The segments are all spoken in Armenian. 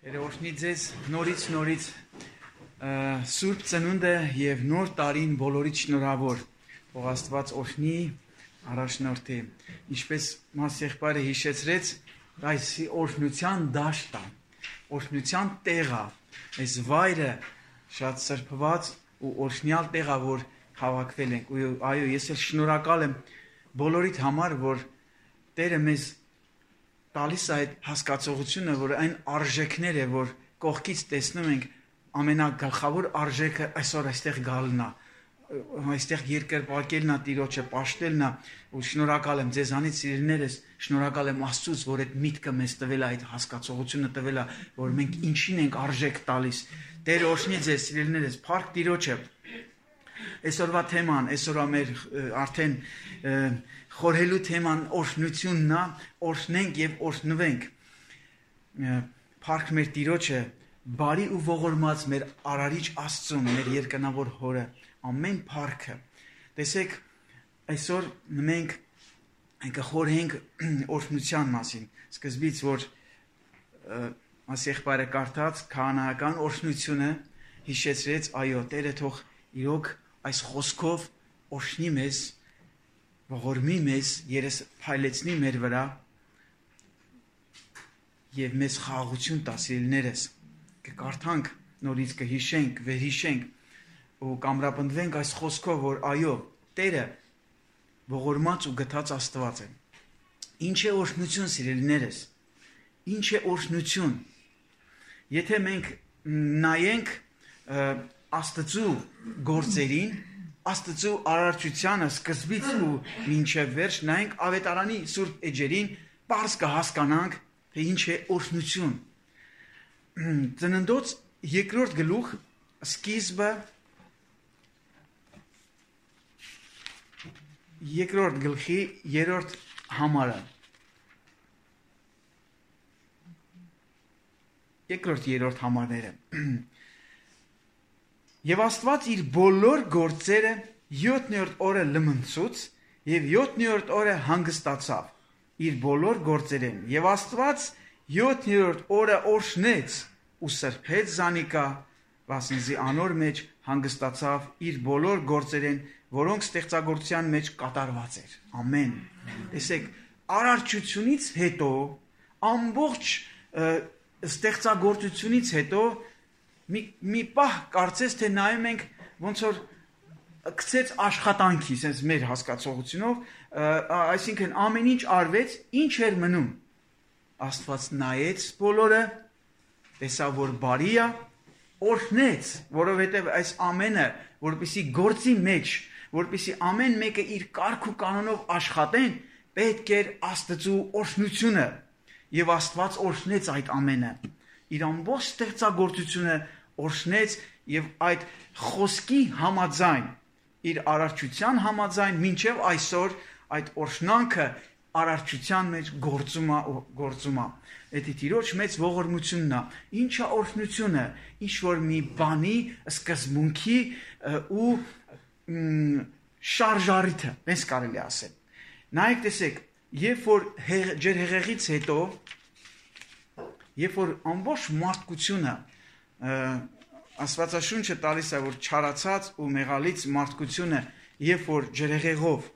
Երեխաների ձեզ նորից Սուրբ ծնունդը եւ նոր տարին բոլորիդ շնորհավոր ով Աստված օրհնի առաջնորդի ինչպես մաս եղբայրը հիշեցրեց այս օրհնության դաշտը օրհնության տեղը այս վայրը շատ սրբված ու օրհնյալ տեղը որ հավաքվել ենք ու այո ես էլ շնորհակալ եմ բոլորիդ համար որ Տերը մեզ տալիս այդ հասկացողությունը, որ այն արժեքները, որ կողքից տեսնում ենք, ամենագլխավոր արժեքը այսօր այստեղ գալն է, այստեղ երկրպագելն է, Տիրոջը պաշտելն է, ու շնորհակալ եմ ձեզանից սիրելիներս, շնորհակալ եմ Աստծուց, որ այդ միտքը մեզ տվել է, այդ հասկացողությունը տվել է, որ մենք ինչին ենք արժեք տալիս։ Տերը օրհնի ձեզ սիրելիներս, փառք Տիրոջը։ Այսօրվա թեման, այսօրվա մեր արդեն խորհելու թեման օրհնությունն է, օրհնենք եւ օրհնվենք։ Փառք մեր Տիրոջը, բարի ու ողորմած մեր Արարիչ Աստծուն, մեր երկնավոր Հորը, ամեն փառքը։ Տեսեք, այսօր մենք կխորհենք օրհնության մասին։ Սկզբից որ ասեղբայրը կարդաց քահանայական օրհնությունը հիշեցրեց, այո, Տերը թող իրոք այս խոսքով օրհնի մեզ, ողորմի մեզ, երես փայլեցնի մեր վրա եւ մեզ խաղաղություն տա սիրելիներս։ Կկարդանք, նորից կհիշենք, վերհիշենք ու կամրապնդվենք այս խոսքով, որ այո, Տերը ողորմած ու գթած Աստված է։ Ինչ է օրհնություն սիրելիներս։ Ինչ է օրհնություն։ Եթե մենք նայենք Աստծու գործերին, Աստծու արարչությանը սկզբից ու մինչև վերջ նայենք ավետարանի սուրբ էջերին, պարզ կհասկանանք, թե ինչ է օրհնություն։ Ծննդոց երկրորդ գլուխ սկիզբը երկրորդ գլխի երրորդ համարը երկրորդ երրորդ համարները Եվ Աստված իր բոլոր գործերը 7-րդ օրը լմնցուց եւ 7-րդ օրը հանգստացավ իր բոլոր գործերեն եւ Աստված 7-րդ օրը օրհնեց ու սրբեց զանիկա վասնզի անոր մեջ հանգստացավ իր բոլոր գործերեն որոնք ստեղծագործության մեջ կատարված էր ամեն տեսեք արարչությունից հետո ամբողջ ստեղծագործությունից հետո մի պահ կարծես թե նայում ենք ոնց որ գցեց աշխատանքի, sense մեր հասկացողությունով, այսինքն ամեն ինչ արվեց, ինչ էր մնում։ Աստված նայեց բոլորը, տեսավ որ բարի է, օրհնեց, որովհետև այս ամենը, որպեսի գործի մեջ, որպեսի ամեն մեկը իր կարգ ու կանոնով աշխատեն, պետք էր Աստծու օրհնությունը, եւ Աստված օրհնեց այդ ամենը։ Իր ամբողջ ստեղծագործությունը օրհնեց եւ այդ խոսքի համաձայն իր արարչության համաձայն մինչև այսօր այդ օրհնանքը արարչության մեջ գործում է Դա Տիրոջ մեծ ողորմությունն է ինչ է օրհնությունը ինչ որ մի բանի սկզբունքի ու շարժարիթը ես կարելի ասել նայեք տեսեք երբ որ ջրհեղեղից հետո Երբ որ ամբողջ մարդկությունը Աստվածաշունչը տալիս է որ չարացած ու մեղալից մարդկությունը երբ որ ջրհեղեղով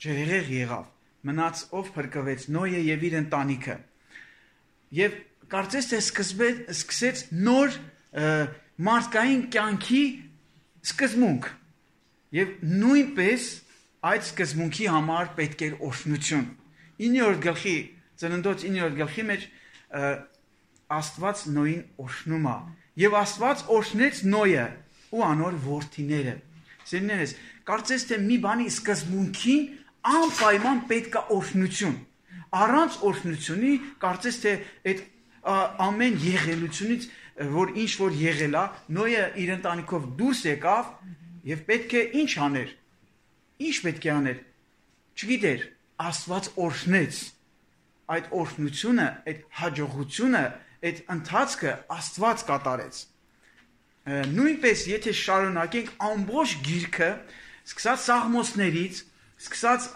ջրհեղեղ եղավ մնաց ով փրկվեց Նոյը եւ իր ընտանիքը եւ կարծես թե սկսեց նոր մարդկային կյանքի սկզբունք եւ նույնպես այդ սկզբունքի համար պետք էր օրհնություն 9-րդ գլխի ծննդոց 9-րդ գլխի մեջ Աստված Նոյին օրհնում է եւ Աստված օրհնեց Նոյը ու անոր որդիները Սիրելիներս կարծես թե մի բանի սկզբունքին անպայման պետք է օրհնություն առանց օրհնությունի կարծես թե այդ ամեն եղելությունից որ ինչ որ եղել է Նոյը իր ընտանիքով դուրս եկավ եւ պետք է ինչ աներ ինչ պետք է աներ չգիտեր Աստված օրհնեց այդ օրհնությունը, այդ հաջողությունը, այդ ընթացքը Աստված կատարեց։ Նույնպես եթե շարունակենք ամբողջ գիրքը, սկսած Սաղմոսներից, սկսած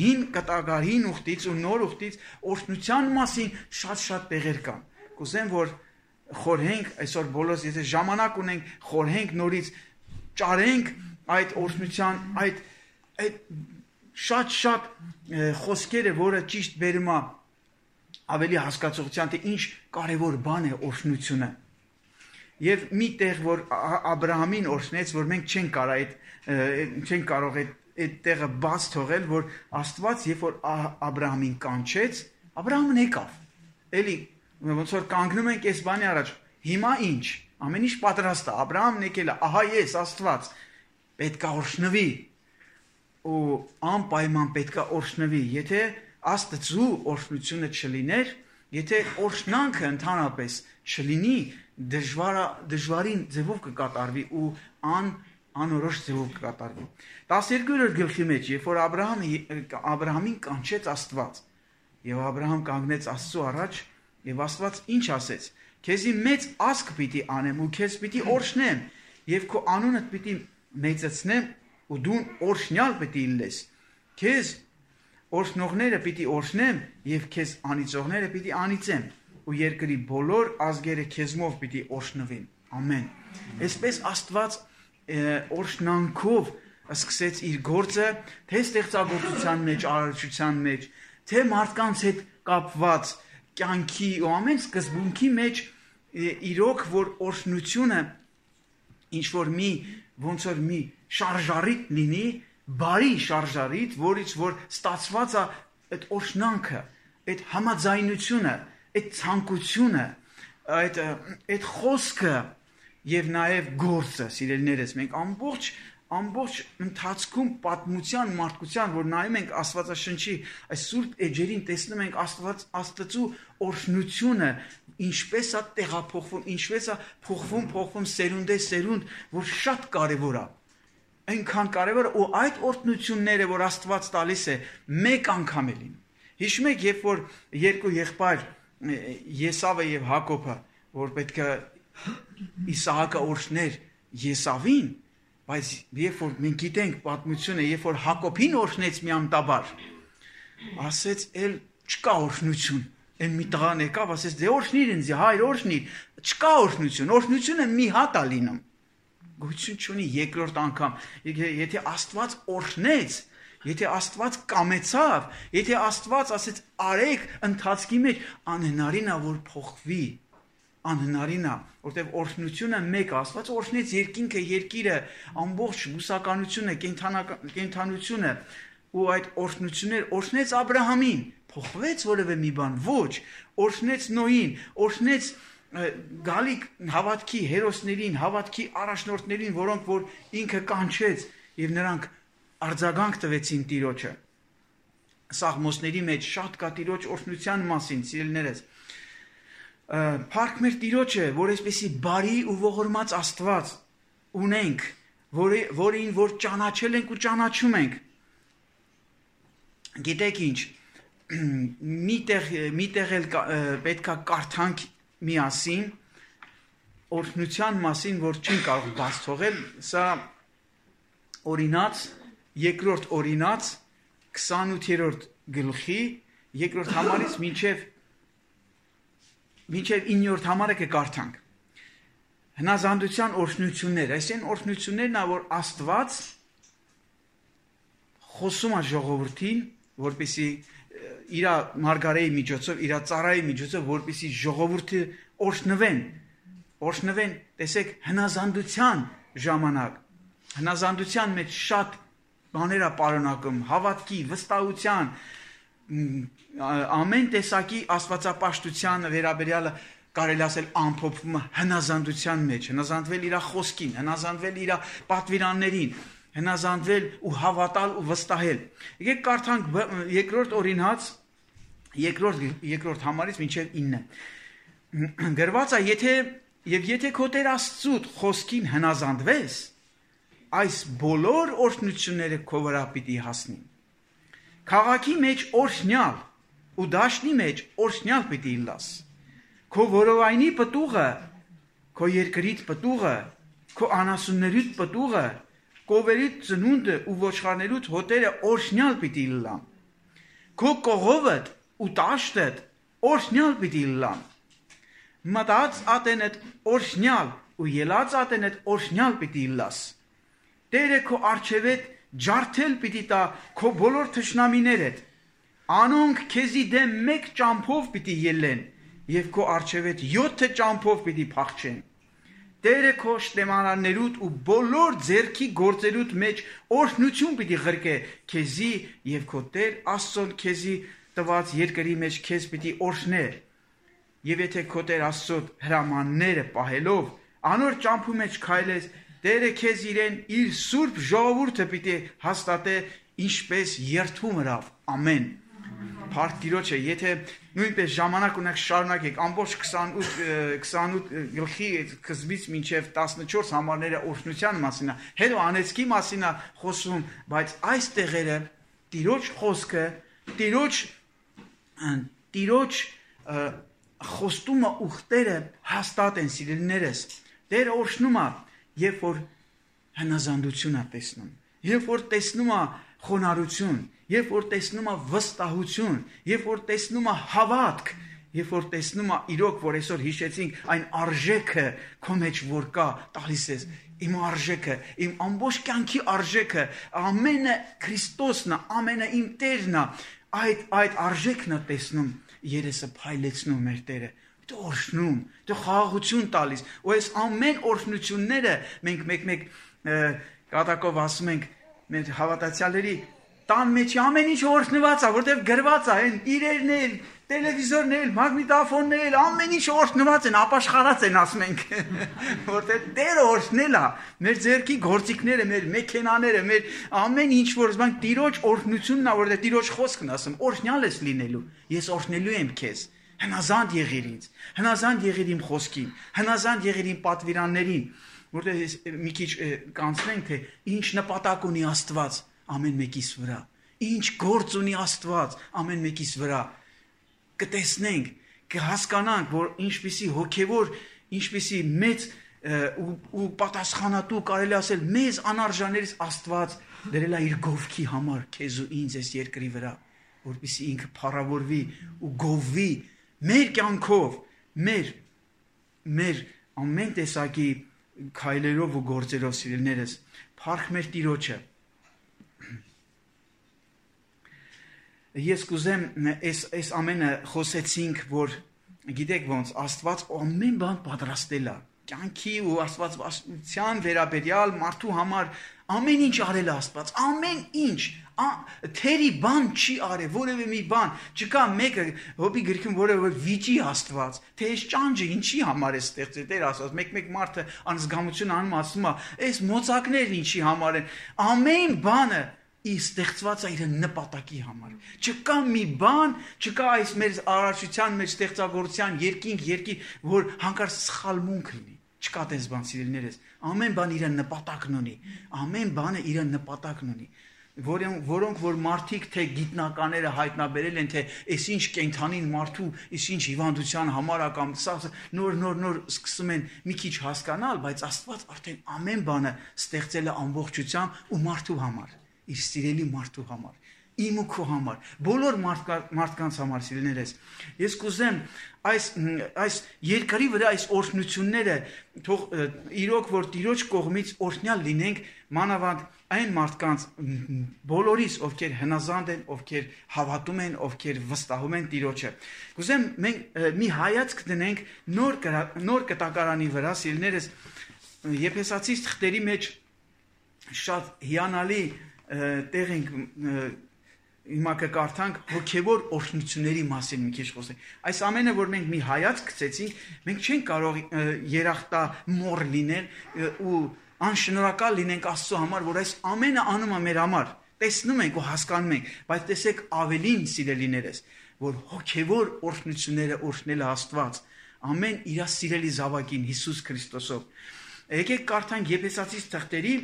հին կտակարին ուխտից ու նոր ուխտից օրհնության մասին շատ տեղեր կան։ Կուզեմ որ խորհենք այսօր բոլորս եթե ժամանակ ունենք խորհենք նորից ճարենք այդ օրհնության այդ շատ խոսքերը որը ճիշտ բերում է ավելի հասկացողության թե ինչ կարևոր բան է օրհնությունը եւ մի տեղ որ Աբրահամին օրհնեց որ մենք չենք կարող այդ տեղը բաց թողել որ Աստված երբ որ Աբրահամին կանչեց Աբրահամն եկավ էլի ոնց որ կանգնում ենք այս բանի առաջ հիմա ինչ ամեն ինչ պատրաստ է Աբրահամն եկել է ահա ես Աստված պետք է օրհնվի ու անպայման պետք է օրհնվի եթե Աստծու օրհնությունը չլիներ եթե օրհնանքը ընդհանրապես չլինի դժվարին ձևով կկատարվի ու անորոշ ձևով կկատարվի 12-րդ գլխի մեջ երբ որ Աբրահամին կանչեց Աստված եւ Աբրահամ կանգնեց Աստծու առաջ եւ Աստված ինչ ասեց քեզի մեծ ազգ պիտի անեմ ու քեզ պիտի օրհնեմ եւ քո անունդ պիտի մեծացնեմ ու դու օրհնյալ պիտի լինես քեզ օրհնողները պիտի օրհնեմ եւ քեզ անիծողները պիտի անիծեմ ու երկրի բոլոր ազգերը քեզմով պիտի օրհնվին ամեն այսպես Աստված օրհնանքով սկսեց իր գործը թե ստեղծագործության մեջ արարչության մեջ թե մարդկանց հետ կապված կյանքի ու ամեն սկզբունքի մեջ իրոք որ օրհնությունը ինչ որ ոնց որ մի շարժարիտ լինի բարի շարժարիտ որից որ ստացված է այդ օրհնանքը այդ համաձայնությունը այդ ցանկությունը այդ խոսքը եւ նաեւ գործը սիրելիներս մենք ամբողջ ընթացքում պատմության մարդկության որ նայում ենք Աստվածաշնչի այս սուրբ էջերին տեսնում ենք Աստծու օրհնությունը ինչպես է տեղափոխվում ինչպես է փոխվում սերունդեսերունդ որ շատ կարեւոր է այնքան կարեւոր ու այդ օրհնությունները որ Աստված տալիս է մեկ անգամ է լինում հիշում եք երբ որ երկու եղբայր Եսավը եւ Հակոբը որ պետք է Իսահակը օրհներ Եսավին բայց երբ որ մենք գիտենք պատմությունը երբ որ Հակոբին օրհնեց միամտաբար ասեց էլ չկա օրհնություն այն մի տղան եկավ ասեց դե օրհնիր ինձ հայր օրհնիր չկա օրհնությունը մի հատ է լինում գույություն չունի երկրորդ անգամ եթե Աստված օրհնեց եթե Աստված կամեցավ եթե Աստված ասեց արեք ընթացքի մեջ անհնարին է որ փոխվի անհնարին է որտեղ օրհնությունը մեկ Աստված օրհնեց երկինքը երկիրը ամբողջ բուսականությունը կենդանությունը ու այդ օրհնություններ օրհնեց Աբրահամին փոխվեց որևէ մի բան ոչ օրհնեց Նոյին օրհնեց գալիք հավատքի հերոսներին հավատքի առաջնորդներին որոնք որ ինքը կանչեց եւ նրանք արձագանք տվեցին Տիրոջը Սաղմոսների մեջ շատ կա Տիրոջ օրհնության մասին սիրելիներս Փառք մեր Տիրոջը որ այսպեսի բարի ու ողորմած Աստված ունենք որին որ ճանաչել ենք ու ճանաչում ենք գիտեք ինչ միտեղ էլ պետքա կարդանք միասին օրհնության մասին որ չեն կարող բաց թողել սա օրինաց երկրորդ օրինաց 28-րդ գլխի երկրորդ համարից մինչև 9-րդ համարը կկարդանք հնազանդության օրհնություններ այսինքն օրհնություններն ա որ Աստված խոսում է ժողովրդին որպեսզի իր մարգարեի միջոցով իր ծառայի միջոցով որպեսզի ժողովուրդը օրհնվեն տեսեք հնազանդության ժամանակ հնազանդության մեջ շատ բաներ է պարունակում հավատքի վստահության ամեն տեսակի աստվածապաշտության վերաբերյալը կարելի ասել ամփոփվում է հնազանդության մեջ հնազանդվել իր խոսքին հնազանդվել իր պատվիրաններին հնազանդվել ու հավատալ ու վստահել եկեք կարդանք երկրորդ օրինաց երկրորդ համարից մինչև 9 գրված է եթե քո Տեր Աստծուդ խոսքին հնազանդվես այս բոլոր օրհնությունները քո վրա պիտի հասնին քաղաքի մեջ օրհնյալ ու դաշնի մեջ օրհնյալ պիտի լաս քո որովայնի պտուղը քո երկրիդ պտուղը քո անասուններիդ պտուղը կովերիդ ծնունդը ու ոչխարներիդ հոտերը օրհնյալ պիտի լան քո կողովդ ու տաշտդ օրհնյալ պիտի լան մտած ատենդ օրշնյալ ու ելած ատենդ օրշնյալ պիտի լաս։ Տերը քո արջևետ ջարդել պիտի տա քո բոլոր թշնամիներդ, անոնք քեզի դեմ մեկ ճամփով պիտի ելեն եւ քո արջևետ 7 ճամփով պիտի փախչեն։ Տերը քո շտեմարաններուտ ու բոլոր ձեռքի գործերուտ մեջ օրհնություն պիտի ղրկե քեզի եւ քո Տեր Աստծոն քեզի տված երկրի մեջ քեզ պիտի օրհնե։ Եվ եթե քո Տեր Աստծո հրամանները պահելով անոր ճամփու մեջ քայլես, Տերը քեզ իրեն իր սուրբ ժողովուրդը պիտի հաստատե ինչպես երթում հրավ։ Ամեն։ Փառք Տիրոջը, եթե նույնպես ժամանակ ունեք շարունակեք ամբողջ 28 գլխի սկզբից մինչև 14 համարները օրհնության մասին է, հետո անեծքի մասին է խոսում, բայց այս տեղերը Տիրոջ խոսքը, Տիրոջ խոստումը ուխտերը հաստատ են սիրելիներս։ Տերը օրհնում է, երբ որ հնազանդություն է տեսնում, երբ որ տեսնում է խոնարհություն, երբ որ տեսնում է վստահություն, երբ որ տեսնում է հավատք, երբ որ տեսնում է իրոք, որ այսօր հիշեցինք այն արժեքը քո մեջ որ կա, տալիս ես իմ արժեքը, իմ ամբողջ կյանքի արժեքը, ամենը Քրիստոսն է, ամենը իմ Տերն է, այդ արժեքն է տեսնում, երեսը փայլեցնում մեր Տերը, դու օրհնում, դու խաղաղություն տալիս, ու այս ամեն օրհնությունները մենք մեկ կատակով ասում ենք մեր հավատացյալների տան մեջ ամեն ինչ օրհնված է, որտեղ գրված է, այն իրերն էլ, տելևիզորն էլ, մագնիտոֆոնն էլ, ամեն ինչ օրհնված են, ապաշխարած են, ասում ենք, որտեղ Տերը օրհնել է, մեր ձեռքի գործիքները, մեր մեքենաները, մեր ամեն ինչ որ զբաղ Տիրոջ օրհնությունն է, որտեղ Տիրոջ խոսքն ասում, օրհնյալ ես լինելու, ես օրհնելու եմ քեզ, հնազանդ եղիր ինձ, հնազանդ եղիր իմ խոսքին, հնազանդ եղիր իմ պատվիրաններին, որտեղ մի քիչ կանցնենք, թե ինչ նպատակ ունի Աստված ամեն մեկիս վրա, ինչ գործ ունի Աստված ամեն մեկիս վրա, կտեսնենք, կհասկանանք, որ ինչպիսի հոգևոր, ինչպիսի մեծ ու պատասխանատու կարելի ասել մեզ անարժաններից Աստված դրել է իր գովքի համար քեզ ու ինձ այս երկրի վրա, որպեսզի ինքը փառավորվի ու գովվի մեր կյանքով, մեր ամեն տեսակի քայլերով ու գործերով սիրելիներս, փառք մեր Տիրոջը։ Ես կուզեմ այս ամենը խոսեցինք, որ գիտեք ոնց Աստված ամեն բան պատրաստել է, կյանքի ու աստվածության վերաբերյալ մարդու համար ամեն ինչ արել է Աստված, ամեն ինչ, թերի բան չի արել, որևէ մի բան, չկա մեկը Հոբի գրքում որևէ վիճի Աստված, թե այս ճանճը ինչի համար է ստեղծել, Տեր ասած, մեկ մարդը անզգամություն անում ասում է, այս մոծակներն ինչի համար են, ամեն բանը ստեղծված է իր նպատակի համար։ Չկա մի բան, չկա այս մեր արարչության, մեր ստեղծագործության երկինք, որ հանկարծ սխալմունք լինի։ Չկա տես բան, սիրելիներս։ Ամեն բան իր նպատակն ունի։ Ամեն բանը իր նպատակն ունի։ Որոնք որ մարդիկ թե գիտնականները հայտնաբերել են, թե այս ինչ կենդանին մարդու, այս ինչ հիվանդության համար կամ նոր սկսում են մի քիչ հասկանալ, բայց Աստված արդեն ամեն բանը ստեղծել է ամբողջությամբ ու մարդու համար, իր սիրելի մարդու համար, իմ ու քո համար, բոլոր մարդկանց համար, սիրելիներս։ Ես կուզեմ այս երկրի վրա այս օրհնությունները թող իրոք որ Տիրոջ կողմից օրհնյալ լինենք, մանավանդ այն մարդկանց բոլորիս, ովքեր հնազանդ են, ովքեր հավատում են, ովքեր վստահում են Տիրոջը։ Կուզեմ մենք մի հայացք դնենք նոր կտակարանի վրա, սիրելիներս, Եփեսացիս թղթերի մեջ շատ հիանալի տեղ ենք հիմա կկարդանք հոգևոր օրհնությունների մասին մի քիչ խոսենք։ Այս ամենը, որ մենք մի հայացք գցեցինք, մենք չենք կարող երախտամոռ լինել ու անշնորհակալ լինենք Աստծո համար, որ այս ամենը անում է մեր համար։ Տեսնում ենք ու հասկանում ենք, բայց տեսեք ավելին, սիրելիներս, որ հոգևոր օրհնությունները օրհնել է Աստված, ամեն իր սիրելի զավակին Հիսուս Քրիստոսով։ Եկեք կարդանք Եփեսացիս թղթերի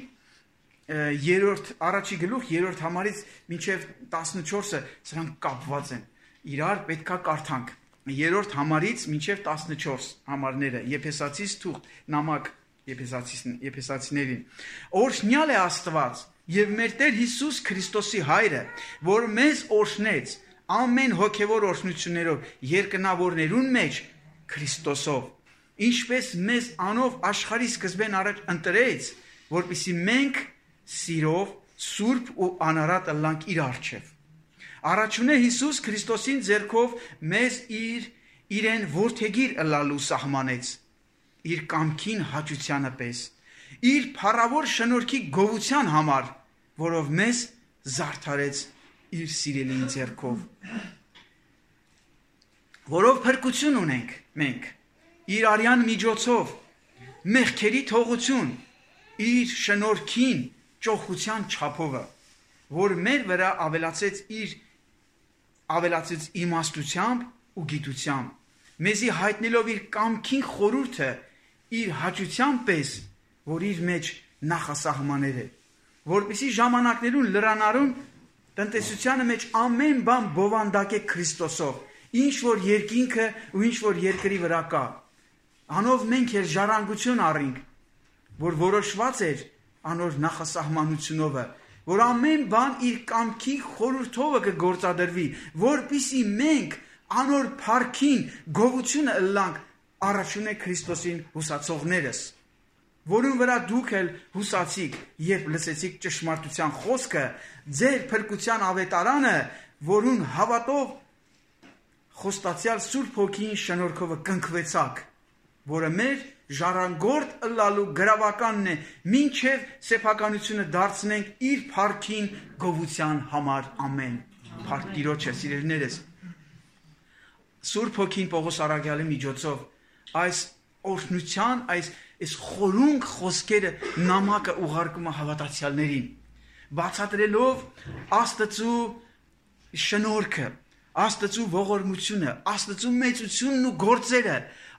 3-րդ գլուխ 3-րդ համարից մինչև 14-ը, սրանք կապված են։ Իրար պետքա կարդանք 3-րդ համարից մինչև 14 համարները, Եփեսացիս թուղթ, նամակ Եփեսացիներին։ Օրհնյալ է Աստված եւ մեր Տեր Հիսուս Քրիստոսի Հայրը, որ մեզ օրհնեց ամեն հոգևոր օրհնություններով երկնավորներուն մեջ Քրիստոսով, ինչպես մեզ անով աշխարհի սկզբեն առաջ ընտրեց, որպեսզի մենք սիրով սուրբ ու անարատ ըլլանք իր առջև։ Առաջունե Հիսուս Քրիստոսին ձեռքով մեզ իրեն որդեգիր ըլլալու սահմանեց, իր կամքին հաճությանը պես, իր փառավոր շնորհքի գովության համար, որով մեզ զարդարեց իր սիրելի ձեռքով, որով փրկություն ունենք մենք, իր արյան միջոցով, մեղքերի թողություն, իր շնորհքին ճոխության չափովը, որ մեր վրա ավելացեց իմաստությամբ ու գիտությամբ, մեզի հայտնելով իր կամքին խորհուրդը, իր հաճության պես, որ իր մեջ նախասահմաներ է, որպեսզի ժամանակներուն լրանարուն տնտեսությանը մեջ ամեն բան բովանդակ է Քրիստոսով, ինչ որ երկինքը ու ինչ որ երկրի վրա կա, անով մենք էլ ժառանգություն առինք, որ որոշված էր անոր նախասահմանությունովը, որ ամեն բան իր կամքի խորհրդովը կգործադրվի, որպեսզի մենք անոր փառքին գովությունը ըլլանք առաջունե Քրիստոսին հուսացողներս, որուն վրա դուք էլ հուսացիք, երբ լսեցիք ճշմարտության խոսքը, ձեր փրկության ավետարանը, որուն հավատով խոստացյալ Սուրբ Հոգին շնորհքովը կնքվեցաք, որը մեր ժառանգորդ ըլլալու գրավականն է, մինչև սեփականությունը դարձնենք իր փառքին գովության համար, ամեն։ Փառք Տիրոջը, սիրելիներս։ Սուրբ Հոգին Պողոս առաքյալի միջոցով այս օրհնության, այս խորունկ խոսքերը նամակը ուղարկում է հավատացյալներին, բացատրելով Աստծու շնորհքը, Աստծու ողորմությունը, Աստծու մեծությունն ու գործերը,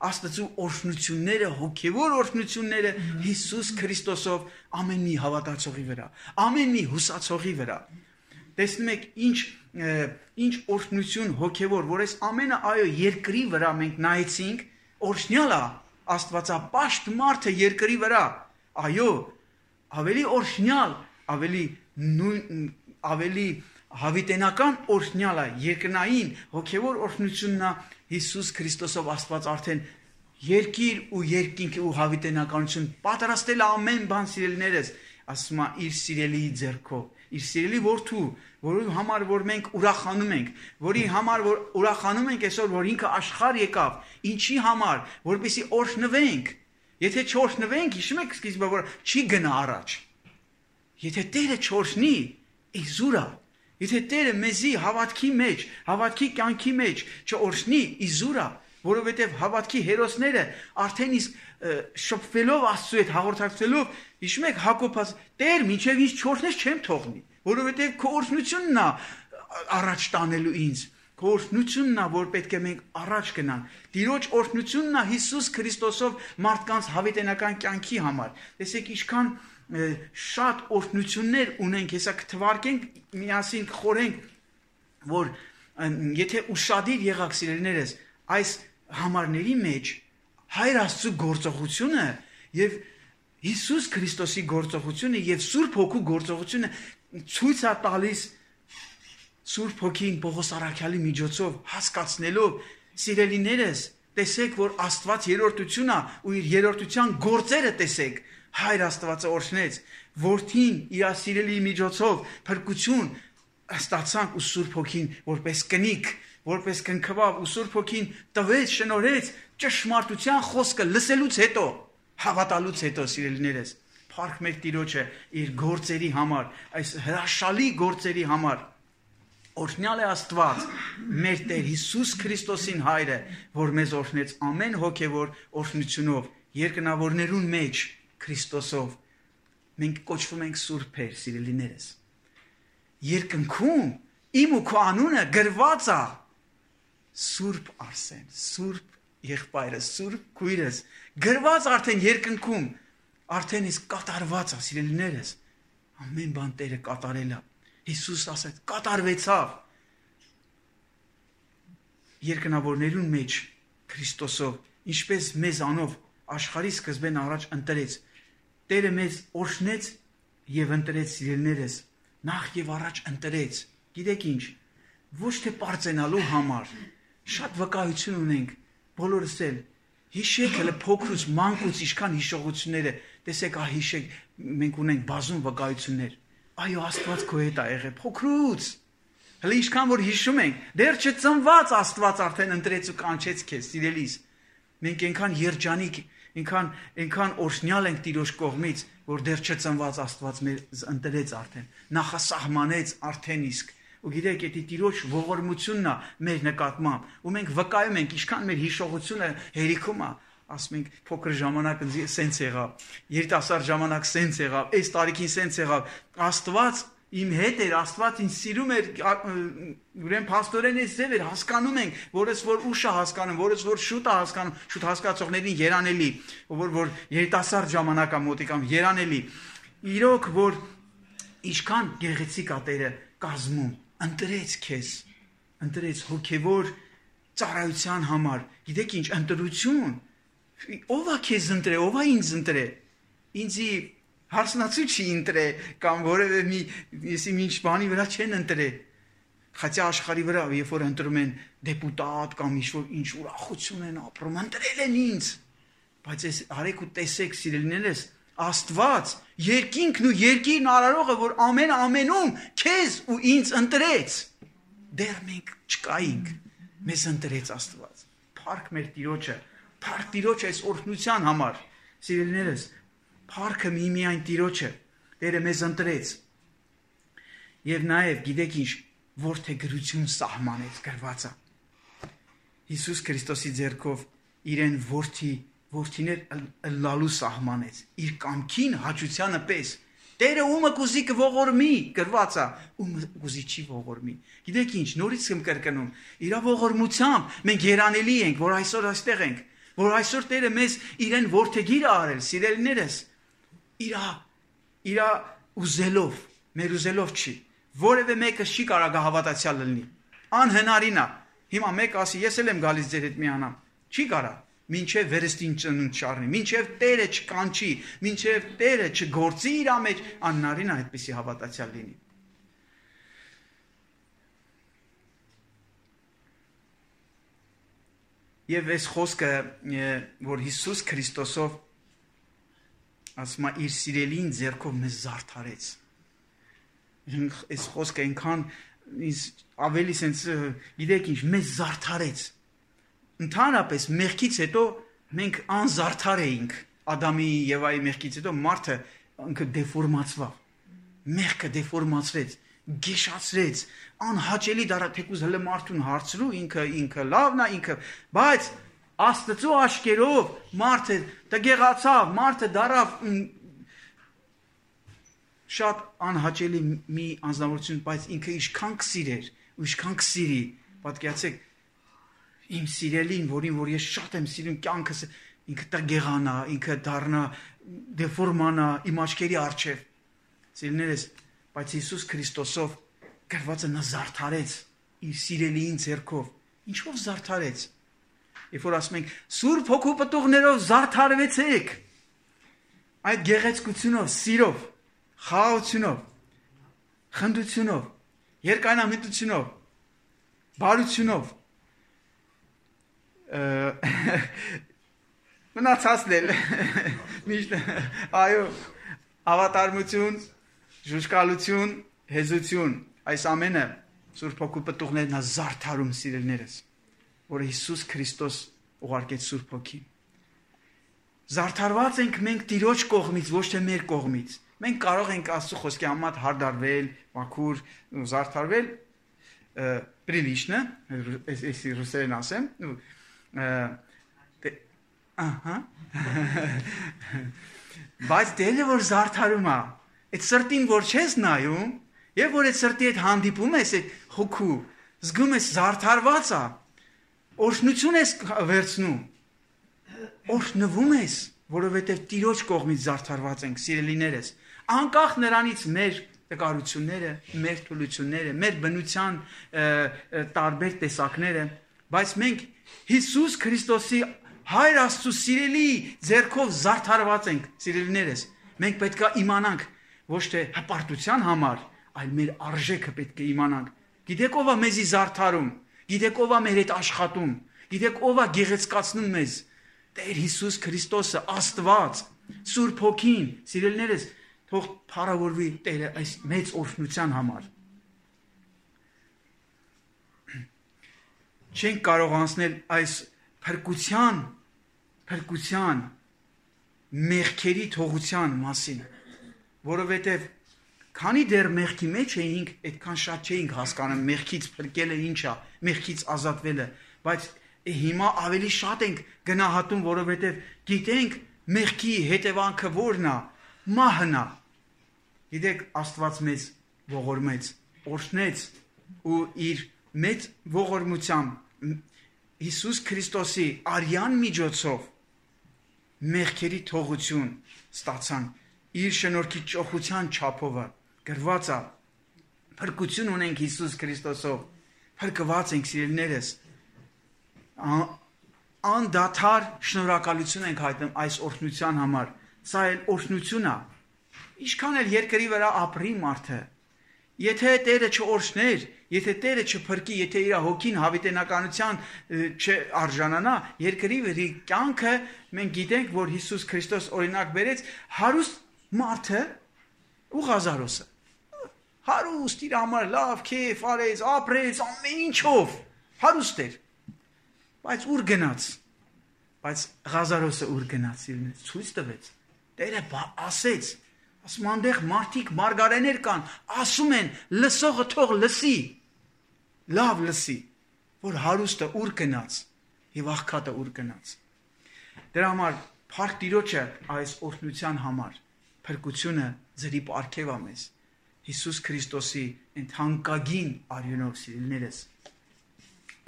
Աստծու օրհնությունները, հոգևոր օրհնությունները Հիսուս Քրիստոսով ամեն մի հավատացողի վրա, ամեն մի հուսացողի վրա։ Տեսնում եք ինչ օրհնություն հոգևոր, որ այս ամենը այո երկրի վրա մենք նայեցինք, օրհնյալ է Աստվածապաշտ մարդը երկրի վրա, այո, ավելի օրհնյալ, ավելի հավիտենական օրհնյալ է երկնային հոգևոր օրհնությունն է Հիսուս Քրիստոսով Աստված արդեն երկիր ու երկինք ու հավիտենականություն պատրաստել ամեն բան սիրելիներս, ասում է իր սիրելիի ձեռքով, իր սիրելի որդու, որի համար որ մենք ուրախանում ենք, որի համար որ ուրախանում ենք այսօր, որ ինքը աշխարհ եկավ, ինչի համար, որպեսզի օրհնվենք, եթե չօրհնվենք, հիշում եք սկիզբը որ չի գնա առաջ, եթե Տերը չօրհնի, իզուր է, եթե Տերը մեզի հավատքի մեջ, հավատքի կյանքի մեջ չօրհնի, իզուր է, որովհետև հավատքի հերոսները արդեն իսկ շփվելով Աստծու հետ հաղորդակցելով, հիշում եք Հակոբաս, Տեր, մինչև ինձ չօրհնես չեմ թողնի, որովհետև քո օրհնությունն է առաջ տանելու ինձ, քո օրհնությունն է, որ պետք է մենք առաջ գնանք, Տիրոջ օրհնությունն է Հիսուս Քրիստոսով մարդկանց հավիտենական կյանքի համար։ Տեսեք ինչքան շատ օրհնություններ ունենք, հեսա կթվարկենք, միասին կխորենք, որ եթե ուշադիր եղաք սիրելիներս, այս համարների մեջ Հայր Աստծու գործողությունը եւ Հիսուս Քրիստոսի գործողությունը եւ Սուրբ Հոգու գործողությունը ցույց է տալիս Սուրբ Հոգին Պողոս առաքյալի միջոցով հասկացնելով սիրելիներս, տեսեք, որ Աստված երրորդություն է ու իր երրորդության գործերը տեսեք, Հայր Աստվածը օրհնեց, Որդին իր սիրելի միջոցով փրկություն ստացանք ու Սուրբ Հոգին որպես կնիկ, որպես կնքվավ ու Սուրբ Հոգին տվեց, շնորհեց ճշմարտության խոսքը լսելուց հետո, հավատալուց հետո սիրելիներս, փառք մեր Տիրոջը իր գործերի համար, այս հրաշալի գործերի համար։ Օրհնյալ է Աստված, մեր Տեր Հիսուս Քրիստոսին Հայրը, որ մեզ օրհնեց ամեն հոգևոր օրհնությունով, երկնավորներուն մեջ Քրիստոսով։ Մենք կոչվում ենք սուրբեր, սիրելիներս։ Երկնքում իմ ու քո անունը գրված է Սուրբ Արսեն, Սուրբ եղբայրս, Սուրբ քույրս, գրված արդեն երկնքում, արդեն իսկ կատարված է, սիրելիներս։ Ամեն բան Տերը կատարել է։ Հիսուս ասեց, կատարվեցավ։ Երկնավորներուն մեջ Քրիստոսով, ինչպես մեզ անով աշխարհի սկզբեն առաջ ընտրեց, Տերը մեզ օրհնեց եւ ընտրեց սիրելիներս, նախ եւ առաջ ընտրեց։ Գիտեք ինչ, ոչ թե պարծենալու համար, շատ վկայություն ունենք, բոլորս էլ հիշեք հələ փոքրուց մանկուց ինչքան հիշողությունները տեսեք հիշեք մենք ունենք բազում վկայություններ այո Աստված քո հետ է եղել փոքրուց հələ ինչքան որ հիշում ենք դեռ չծնված Աստված արդեն ընտրեց ու կանչեց քեզ սիրելիս մենք այնքան երջանիկ այնքան օրհնյալ ենք Տիրոջ կողմից որ դեռ չծնված Աստված մեզ ընտրեց արդեն նախասահմանեց արդեն իսկ ու գիտեք եթե Տիրոջ ողորմությունն է մեր նկատմամբ ու մենք վկայում ենք ինչքան մեր հիշողությունը հերիքում է ասում ենք փոքր ժամանակ սենց եղավ երիտասարդ ժամանակ սենց եղավ այս տարիքին սենց եղավ Աստված իմ հետ էր Աստված ինձ սիրում էր ուրեմն փաստորեն այս ձև էր հասկանում ենք որս որ ուշ է հասկանում որս որ շուտ է հասկանում շուտ հասկացողներին երանելի որ երիտասարդ ժամանակ է մոտիկամ երանելի իրոք որ ինչքան գեղեցիկ է Տերը կազմում ընտրեց քեզ ընտրեց հոգևոր ծառայության համար գիտեք ինչ ընտրություն ով է քեզ ընտրե ով է ինձ ընտրե ինձի հարսնացու չի ընտրե կամ որևէ մի եսի ինչ բանի վրա չեն ընտրե խաչի աշխարհի վրա երբ որ ընտրում են դեպուտատ կամ ինչ ուրախություն են ապրում ընտրել են ինձ բայց այս արեք ու տեսեք սիրելիներս Աստված երկինքն ու երկիրն արարողը որ ամենում քեզ ու ինձ ընտրեց դեռ մենք չկայինք մեզ ընտրեց Աստված փառք մեր Տիրոջը փառք Տիրոջ այս օրհնության համար սիրելիներս փառքը միայն Տիրոջը Տերը մեզ ընտրեց եւ նաեւ գիտեք ինչ որդեգրություն սահմանեց գրվածը Հիսուս Քրիստոսի ձեռքով իրեն որդիներ լալու սահմանեց իր կամքին հաճությանը պես Տերը ումը կուզի կողորմի գրվածա ումը կուզի չի ողորմի գիտեք ինչ նորից եմ կրկնում իր ողորմությամբ մենք երանելի ենք որ այսօր այստեղ ենք որ այսօր Տերը մեզ իրեն որդեգիր արել սիրելիներս իր ուզելով մեր ուզելով չի որևէ մեկը չի կարող հավատացյալ լինի անհնարին է հիմա մեկ ասի ես էլ եմ գալիս ձեր հետ միանամ չի կարող մինչև վերստին ծնունդ չառնի, մինչև Տերը չկանչի, մինչև Տերը չգործի իր մեջ, անհնարին է այդպիսի հավատացյալ լինի։ Եվ այս խոսքը, որ Հիսուս Քրիստոսով ասում է իր սիրելին ձեռքով մեզ զարդարեց։ Այս խոսքը այնքան ավելի սենց գիտեք ինչ մեզ զարդարեց։ Ընդհանրապես մեղքից հետո մենք անզարդար էինք Ադամի եւ Եվայի մեղքից հետո մարդը ինքը դեֆորմացավ մեղքը դեֆորմացրեց գեշացրեց անհաճելի դարա թեկուզ հələ մարդուն հարցրու ինքը լավն է ինքը բայց Աստծո աչքերով մարդը դգեղացավ մարդը դարավ շատ անհաճելի մի անձնավորություն բայց ինքը ինչքան կսիրեր ու ինչքան կսիրի պատկերացեք Իմ սիրելին, որ ես շատ եմ սիրում կյանքս, ինքը տգեղանա, ինքը դառնա դեֆորմանա իմ աչքերի առջև։ Սիրելիներս, բայց Հիսուս Քրիստոսով գրվածը նա զարդարեց իր սիրելիին ձեռքով։ Ինչով զարդարեց։ Երբ որ ասում ենք Սուրբ Հոգու պտուղներով զարդարվեցեք։ Այդ գեղեցկությունով, սիրով, խաղաղությունով, խնդությունով, երկայնամիտությունով, բարությունով մնացածն էլ միշտ այո ավատարմություն, ժուժկալություն, հեզություն այս ամենը Սուրբ Հոգու պտուղներն է զարդարում սիրելիներս որ Հիսուս Քրիստոս ուղարկեց Սուրբ Հոգին զարդարված ենք մենք Տիրոջ կողմից ոչ թե մեր կողմից մենք կարող ենք Աստծո խոսքի համաձայն հարդարվել, մաքուր, զարդարվել прилично, если русերեն ասեմ ահա բայց դերը որ զարդարում է այդ սրտին որ չես նայում եւ որ այդ սրտի հետ հանդիպում ես այդ հոգու զգում ես զարդարված է օրհնություն ես վերցնում օրհնվում ես որովհետեւ Տիրոջ կողմից զարդարված ենք սիրելիներս անկախ նրանից մեր տկարությունները մեր թուլությունները մեր բնության տարբեր տեսակները բայց մենք Հիսուս Քրիստոսի Հայր Աստծո սիրելի ձեռքով զարդարված ենք սիրելիներս մենք պետք է իմանանք ոչ թե հպարտության համար այլ մեր արժեքը պետք է իմանանք գիտեք ով է մեզի զարդարում գիտեք ով է մեր հետ աշխատում Գիտեք ով է գեղեցկացնում մեզ։ Տեր Հիսուս Քրիստոսը, Աստված, Սուրբ Հոգին, սիրելիներս, թող փառավորվի Տերը այս մեծ օրհնության համար։ Չենք կարող անցնել այս փրկության մեղքերի թողության մասին, որովհետև քանի դեռ մեղքի մեջ էինք, այդքան շատ չէինք հասկանում մեղքից փրկելը ինչ է, մեղքից ազատվելը, բայց հիմա ավելի շատ ենք գնահատում, որովհետև գիտենք մեղքի հետևանքը որն է, մահն է։ Գիտեք, Աստված մեզ ողորմեց, օրհնեց ու իր մեծ ողորմությամբ Հիսուս Քրիստոսի արյան միջոցով մեղքերի թողություն ստացան, իր շնորհքի ճոխության չափով գրված է, փրկություն ունենք Հիսուս Քրիստոսով, փրկված ենք սիրելիներս, անդադար շնորհակալություն ենք հայտնում այս օրհնության համար, սա էլ օրհնություն է, ինչքան էլ երկրի վրա ապրի մարդը, եթե Տերը չօրհներ, եթե Տերը չփրկի, եթե իր հոգին հավիտենականության չարժանանա, երկրի վրա կյանքը մենք գիտենք, որ Հիսուս Քրիստոս օրինակ բերեց հարուստ մարդը ու Ղազարոսը։ Հարուստ իր համար լավ քեֆ արեց, ապրեց, ամեն ինչով հարուստ էր։ Բայց ուր գնաց։ Բայց Ղազարոսը ուր գնաց, ցույց տվեց։ Տերը ասեց, ասում այնտեղ մարդիկ մարգարեներ կան, ասում են լսողը թող լսի, լավ լսի, որ հարուստը ուր գնաց եւ աղքատը ուր գնաց։ Դրա համար փառք Տիրոջը այս օրհնության համար, փրկությունը ձրի պարգև է մեզ, Հիսուս Քրիստոսի ընդհանկագին արյունով սիրելիներս։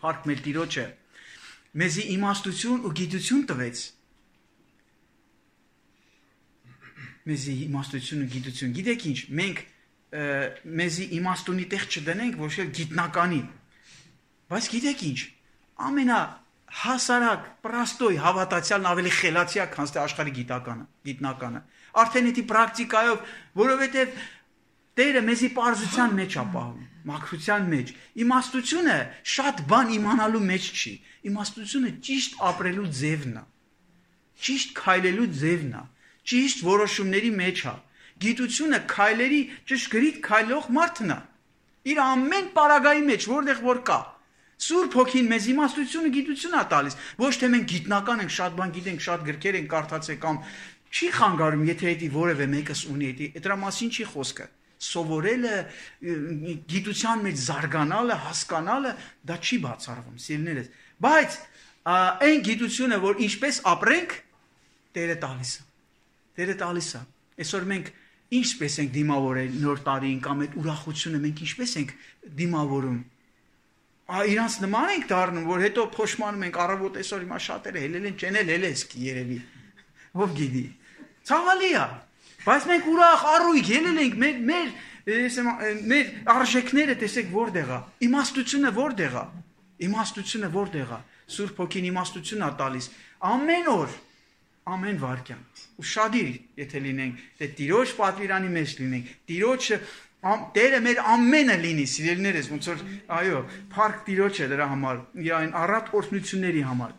Փառք մեր Տիրոջը, մեզի իմաստություն ու գիտություն տվեց։ Մեզի իմաստություն ու գիտություն։ Գիտեք ինչ, մենք մեզի իմաստունի տեղ չդնենք, ոչ էլ գիտնականի։ Բայց գիտեք ինչ, ամենահասարակ, պրաստոյ հավատացյալն ավելի խելացի է, քան աշխարհի գիտնականը։ Արդեն դա պրակտիկայով, որովհետև Տերը մեզի պարզության մեջ է պահում, մաքրության մեջ։ Իմաստությունը շատ բան իմանալու մեջ չի։ Իմաստությունը ճիշտ ապրելու ձևն է։ Ճիշտ քայլելու ձևն է։ Ճիշտ որոշումների մեջ է։ Գիտությունը քայլերի ճշգրիտ քայլող մարդն է։ Իր ամեն պարագայի մեջ, որտեղ որ կա։ Սուրբ Հոգին մեզ իմաստությունը, գիտություն է տալիս։ Ոչ թե մենք գիտնական ենք, շատ բան գիտենք, շատ գրքեր ենք կարդացել կամ չի խանգարում, եթե դա որևէ մեկս ունի, դրա մասին չի խոսքը։ Սովորելը, գիտության մեջ զարգանալը, հասկանալը, դա չի բացառվում, սիրելիներս։ Բայց այն գիտությունը, որ ինչպես ապրենք, Տերը տալիս է։ Տերը տալիս է։ Այսօր մենք ինչպես ենք դիմավորել նոր տարին կամ այդ ուրախությունը մենք ինչպես ենք դիմավորում։ Իրանց նման ենք դառնում, որ հետո փոշմանում ենք առավոտ այսօր հիմա շատերը հելել են, չեն հելես երևի։ Ով գիտի։ Ցավալի է։ Բայց մենք ուրախ առույգ ելել ենք, մեր արժեքները տեսեք որտեղ է, իմաստությունը որտեղ է, իմաստությունը որտեղ է, Սուրբ Հոգին իմաստություն է տալիս, ամեն օր, ամեն վայրկյան, ու շադիր եթե լինենք, թե Տիրոջ պատվիրանի մեջ լինենք, Տիրոջը, Տերը մեր ամենը լինի, սիրելիներս, ոնց որ, այո, փառք Տիրոջը դրա համար, իր այն առատ օրհնությունների համար,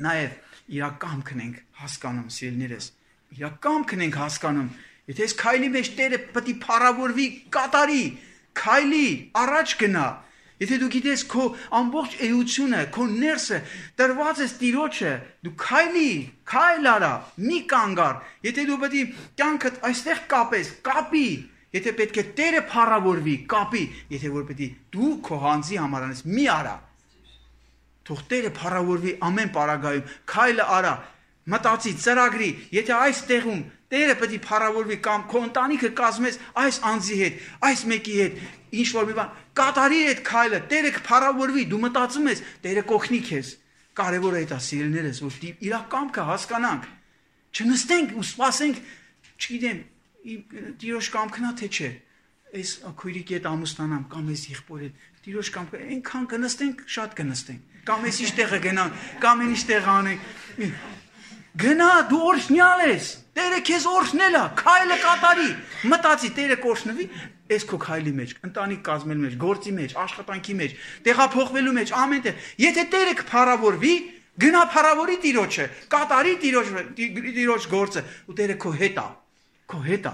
նաև իր կամքն ենք հասկանում, սիրելիներս, իր կամքն ենք հասկանում, եթե այս քայլի մեջ Տերը պետք է փառավորվի, կատարի, քայլի, առաջ գնա, եթե դու գիտես քո ամբողջ էությունը, քո ներսը տրված է Տիրոջը, դու քայլ արա, մի կանգար, եթե դու պետք է կյանքդ այստեղ կապես, կապի, եթե պետք է Տերը փառավորվի, կապի, եթե որ պետք է դու քո հանձի համար անես, մի արա, թող Տերը փառավորվի ամեն պարագայում, քայլը արա, մտածի, ծրագրի, եթե այս տեղում Տերը պետք է փառավորվի կամ քո ընտանիքը կազմես այս անձի հետ, այս մեկի հետ, ինչ որ մի բան, կատարի այդ քայլը, Տերը կփառավորվի, դու մտածում ես, Տերը կօգնի քեզ։ Կարևորը դա սիրելիներս, որ իր կամքը հասկանանք, չնստենք ու սպասենք, չգիտեմ, Տիրոջ կամքն է թե չէ։ Այս քույրիկի հետ ամուսնանամ կամ այս եղբորի հետ, Տիրոջ կամքը, այնքան կնստենք, շատ կնստենք, կամ այս ինչ տեղը գնանք, կամ ինչ տեղ անենք։ Գնա, դու օրհնյալ ես։ Տերը քեզ օրհնել է, քայլը կատարի։ Մտածի, Տերը կօրհնվի, այս քո քայլի մեջ, ընտանիք կազմելու մեջ, գործի մեջ, աշխատանքի մեջ, տեղափոխվելու մեջ, ամեն տեղ։ Եթե Տերը կփառավորվի, գնա փառավորի Տիրոջը, կատարի Տիրոջ գործը, ու Տերը քո հետ է, քո հետ է։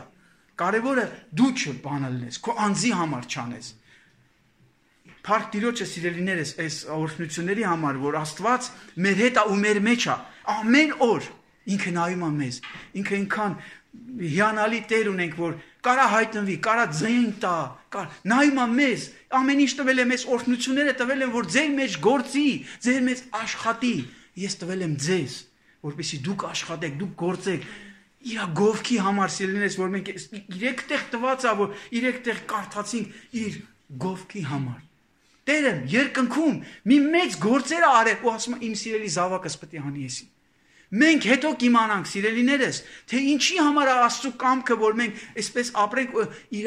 Կարևորը դու չբանը լնես, քո անձի համար չանես։ Փառք Տիրոջը, սիրելիներս, այս օրհնությունների համար, որ Աստված մեր հետ է ու մեր մեջ է, ամեն օր ինքը նայում է մեզ, ինքը ինքան հիանալի Տեր ունենք, որ կարա հայտնվի, կարա ձայն տա, նայում է մեզ, ամեն ինչ տվել է մեզ, օրհնությունները տվել են, որ ձեր մեջ գործի, ձեր մեջ աշխատի, ես տվել եմ ձեզ, որպեսզի դուք աշխատեք, դուք գործեք, իր գովքի համար, սիրելիներս, որ մենք 3 տեղ տված է, որ 3 տեղ կարդացինք իր գովքի համար։ Տերը երկնքում մի մեծ գործեր արել ու ասում է իմ սիրելի զավակս պետք է հանի եսի։ Մենք հետո կիմանանք, սիրելիներս, թե ինչի համար է Աստծո կամքը, որ մենք այսպես ապրենք, իր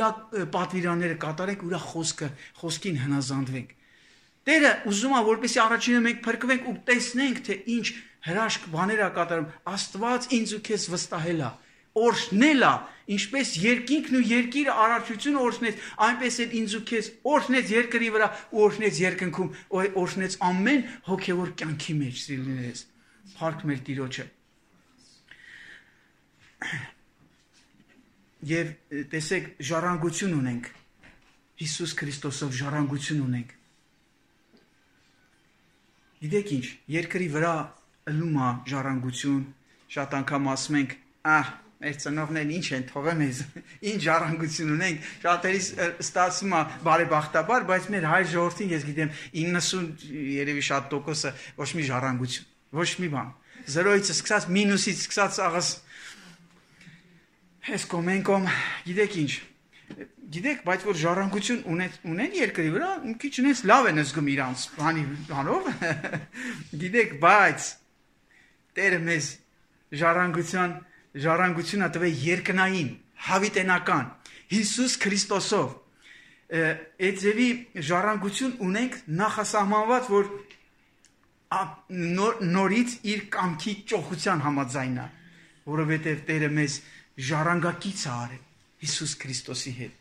պատվիրանները կատարենք, իր խոսքին հնազանդվենք։ Տերը ուզում է, որպեսզի առաջինը մենք փրկվենք ու տեսնենք, թե ինչ հրաշք բաներ է կատարում։ Աստված ինձ ու քեզ վստահել է, օրհնել է, ինչպես երկինքն ու երկիրը արարչությունը օրհնեց, այնպես էլ ինձ ու քեզ օրհնեց երկրի վրա ու օրհնեց երկնքում, օրհնեց ամեն հոգևոր կյանքի մեջ, սիրելիներս։ Փառք մեր Տիրոջը։ Եվ տեսեք, ժառանգություն ունենք։ Հիսուս Քրիստոսով ժառանգություն ունենք։ Գիտեք ինչ, երկրի վրա ըլում է ժառանգություն, շատ անգամ ասում ենք, մեր ծնողներն ինչ են թողել մեզ, ինչ ժառանգություն ունենք, շատերիս ստացվում է բարեբախտաբար, բայց մեր հայ ժողովրդին ես գիտեմ 90 երևի շատ տոկոսը ոչ մի ժառանգություն, ոչ մի բան, 0-ից սկսած, մինուսից սկսած աղս, ես կոմենկոմ, գիտեք ինչ, գիտեք, բայց որ ժառանգություն ունեն երկրի վրա, մի քիչ ունես լավ են զգում իրանց բանով, գիտեք, բայց Տերը մեզ ժառանգությունը տվել երկնային, հավիտենական, Հիսուս Քրիստոսով, այդ ձևի ժառանգություն ունենք նախասահմանված, որ նորից իր կամքի ճոխության համաձայն է, որովհետև Տերը մեզ ժառանգակից է արել Հիսուս Քրիստոսի հետ։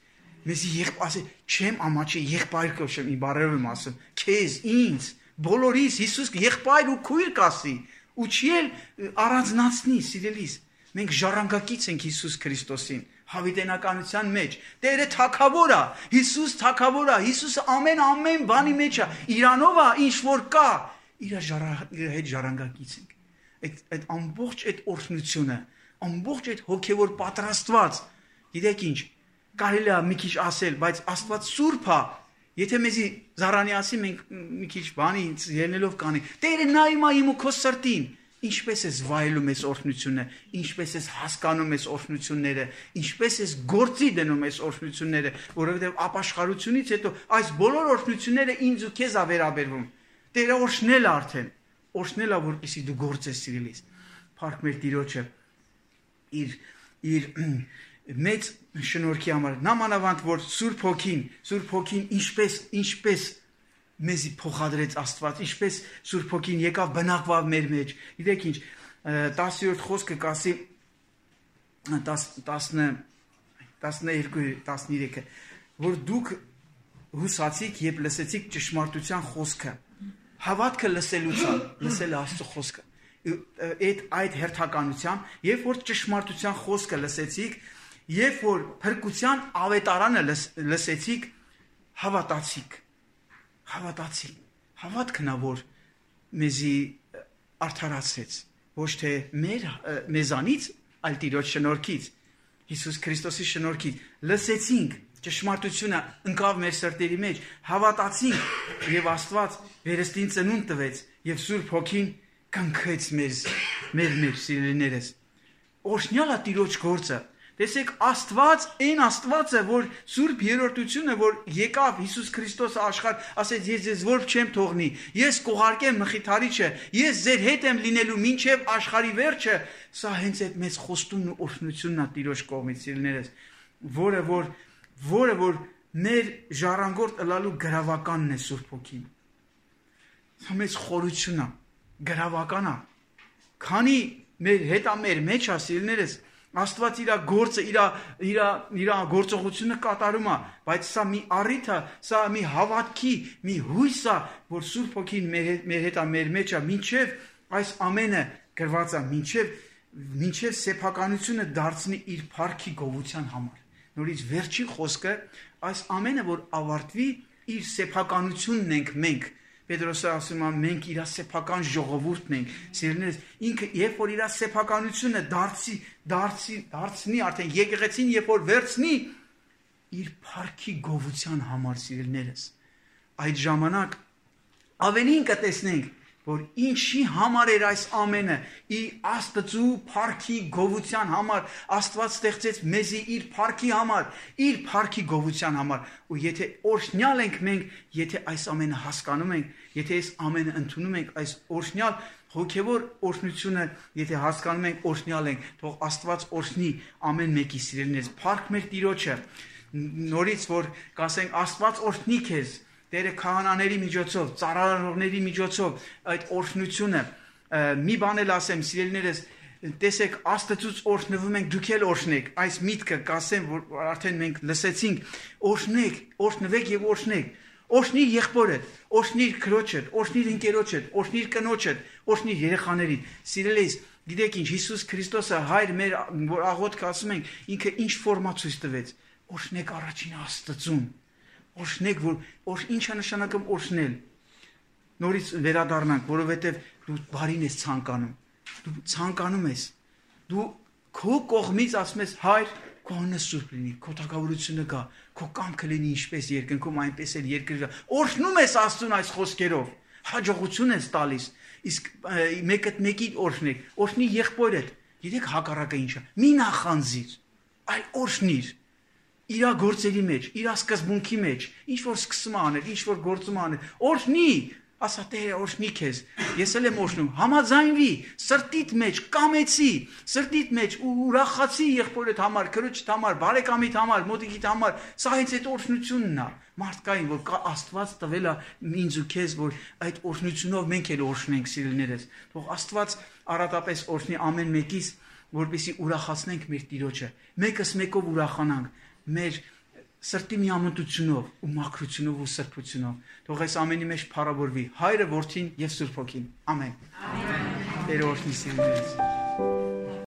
Մեզի ասել, չեմ ամաչի, եղբայր կոչեմ, իմ բառերով եմ ասում, քեզ, ինձ, բոլորիս, Հիսուս եղբայր ու քույր կասի, ու չի էլ առանձնացնի, սիրելիս, մենք ժառանգակից ենք Հիսուս Քրիստոսին, հավիտենականության մեջ, Տերը թագավոր է, Հիսուս թագավոր է, Հիսուսը ամեն բանի մեջ է, իրանով է, ինչ որ կա, իր հետ ժառանգակից ենք, այդ ամբողջ այդ օրհնությունը, ամբողջ այդ հոգևոր պատրաստված, գիտեք ինչ, կարելի է մի քիչ ասել, բայց Աստված սուրբ է, եթե մեզի զարանի ասի, մենք մի քիչ բանի ելնելով կանենք, Տերը նայում է իմ ու քո սրտին, ինչպես ես վայելում ես օրհնությունը, ինչպես ես հասկանում ես օրհնությունները, ինչպես ես գործի դնում ես օրհնությունները, որովհետև ապաշխարությունից հետո այս բոլոր օրհնությունները ինձ ու քեզ է վերաբերվում։ Տերը օրհնել է արդեն, օրհնել է, որպեսզի դու գործես, սիրելիս։ Փառք մեր Տիրոջը իր մեծ շնորհքի համար, նամանավանդ որ Սուրբ Հոգին ինչպես մեզի փոխադրեց Աստված, ինչպես Սուրբ Հոգին եկավ բնակվավ մեր մեջ։ Գիտեք ինչ, 10-րդ խոսքը կասի 12-13-ը, որ դուք հուսացիք, երբ լսեցիք ճշմարտության խոսքը, հավատքը լսել Աստծո խոսքը։ Այդ հերթականությամբ, երբ որ ճշմարտության խոսքը լսեցիք, երբ որ փրկության ավետարանը լսեցիք, հավատացիք։ Հավատքն է, որ մեզի արդարացրեց, ոչ թե մեզանից, այլ Տիրոջ շնորհքից, Հիսուս Քրիստոսի շնորհքից, լսեցինք ճշմարտությունը ընկավ մեր սրտերի մեջ, հավատացինք եւ Աստված վերստին ծնունդ տվեց եւ Սուրբ Հոգին կնքեց մեր սիրելիներս։ Օրհնյալ է Տիրոջ գործը։ Տեսեք, այն Աստվածը, որ Սուրբ Երրորդությունը, որ եկավ Հիսուս Քրիստոսը աշխարհ, ասեց, ես ձեզ որբ չեմ թողնի, ես կուղարկեմ Մխիթարիչը, ես ձեր հետ եմ լինելու մինչև աշխարհի վերջը, սա հենց այդ մեծ խոստումն ու օրհնությունն է Տիրոջ կողմից, սիրելիներս, որը որ մեր ժառանգորդ ըլալու գրավականն է Սուրբ Հոգին։ Սա մեծ խորություն է, գրավական է։ Քանի մեր հետ ամեր մեջ ասիլներս Աստված իր գործը, իր գործողությունը կատարում է, բայց սա մի առիթ է, սա մի հավատքի, մի հույս է, որ Սուրբ Հոգին մեր հետ է, մեր մեջ է, մինչև այս ամենը գրված է, մինչև սեփականությունը դարձնի իր փառքի գովության համար։ Նորից վերջին խոսքը, այս ամենը, որ ավարտվի, իր սեփականությունն ենք մենք։ Պետրոսը ասում է, մենք իր սեփական ժողովուրդն ենք, սիրելիներս, ինքը երբ որ իր սեփականությունը դարձնի, արդեն եկեղեցին երբ որ վերցնի իր փառքի գովության համար, սիրելիներս, այդ ժամանակ ավելին կտեսնենք, որ ինչի համար էր այս ամենը, Աստծու փառքի գովության համար, Աստված ստեղծեց մեզի իր փառքի համար, իր փառքի գովության համար, ու եթե օրհնյալ ենք մենք, եթե այս ամենը հասկանում ենք, եթե այս ամենը ընդունում ենք, այս օրհնյալ հոգևոր օրհնությունը, եթե հասկանում ենք, օրհնյալ ենք, թող Աստված օրհնի ամեն մեկի սիրելիներս, փառք մեր Տիրոջը, նորից որ կասենք Աստված օրհնի քեզ, Տերը քահանաների միջոցով, ծառայողների միջոցով այդ օրհնությունը, մի բան էլ ասեմ, սիրելիներս, տեսեք, Աստծուց օրհնվում ենք, դուք էլ օրհնեք, այս միտքը կասեմ, որ արդեն մենք լսեցինք, օրհնեք, օրհնվեք եւ օրհնեք, օրհնիր եղբորդ, օրհնիր քրոջդ, օրհնիր ընկերոջդ, օրհնիր կնոջդ, օրհնիր երեխաներին, սիրելիս, գիտեք ինչ, Հիսուս Քրիստոսը հայր մեր, որ աղոթք ասում ենք, ինքը ինչ ֆորմա ցույց տվեց, օրհնեք առաջին Աստծուն, օրհնեք, որ ինչ է նշանակում օրհնել, նորից վերադառնանք, որովհետև դու բարին ես ցանկանում, դու ցանկանում ես, դու քո կողմից ասում ես, հայր, քո անունը սուրբ լինի, քո թագավորությունը գա, քո կամքը լինի ինչպես երկնքում, այնպես էլ երկրի, օրհնում ես Աստծուն այս խոսքերով, հաջողություն ես տալիս, իսկ մեկին օրհնեք, օրհնի եղբորդ, գիտեք հակառակը ինչ է, մի նախանձիր, այլ օրհնիր, իր գործերի մեջ, իր սկզբունքի մեջ, ինչ որ սկսում անել, ինչ որ գործում անել, օրհնի, ասա Տերը օրհնի քեզ, ես էլ եմ օրհնում, համաձայնվի, սրտիդ մեջ, կամեցի, սրտիդ մեջ ուրախացի եղբորդ համար, քրոջդ համար, բարեկամիդ համար, մոտիկիդ համար, սա հենց այդ օրհնությունն է, մարդկային, որ Աստված տվել է ինձ ու քեզ, որ այդ օրհնությունով մենք էլ օրհնենք սիրելիներս, թող Աստված առատապես օրհնի ամեն մեկիս, որպեսզի ուրախացնենք մեր Տիրոջը, մեկս մեկով ուրախանանք, մեր սրտի միամտությունով ու մաքրությունով ու սրբությունով, թող այս ամենի մեջ փառավորվի Հայրը, Որդին եւ Սուրբ Հոգին։ Ամեն։ Տերը օրհնի սիրելիներս։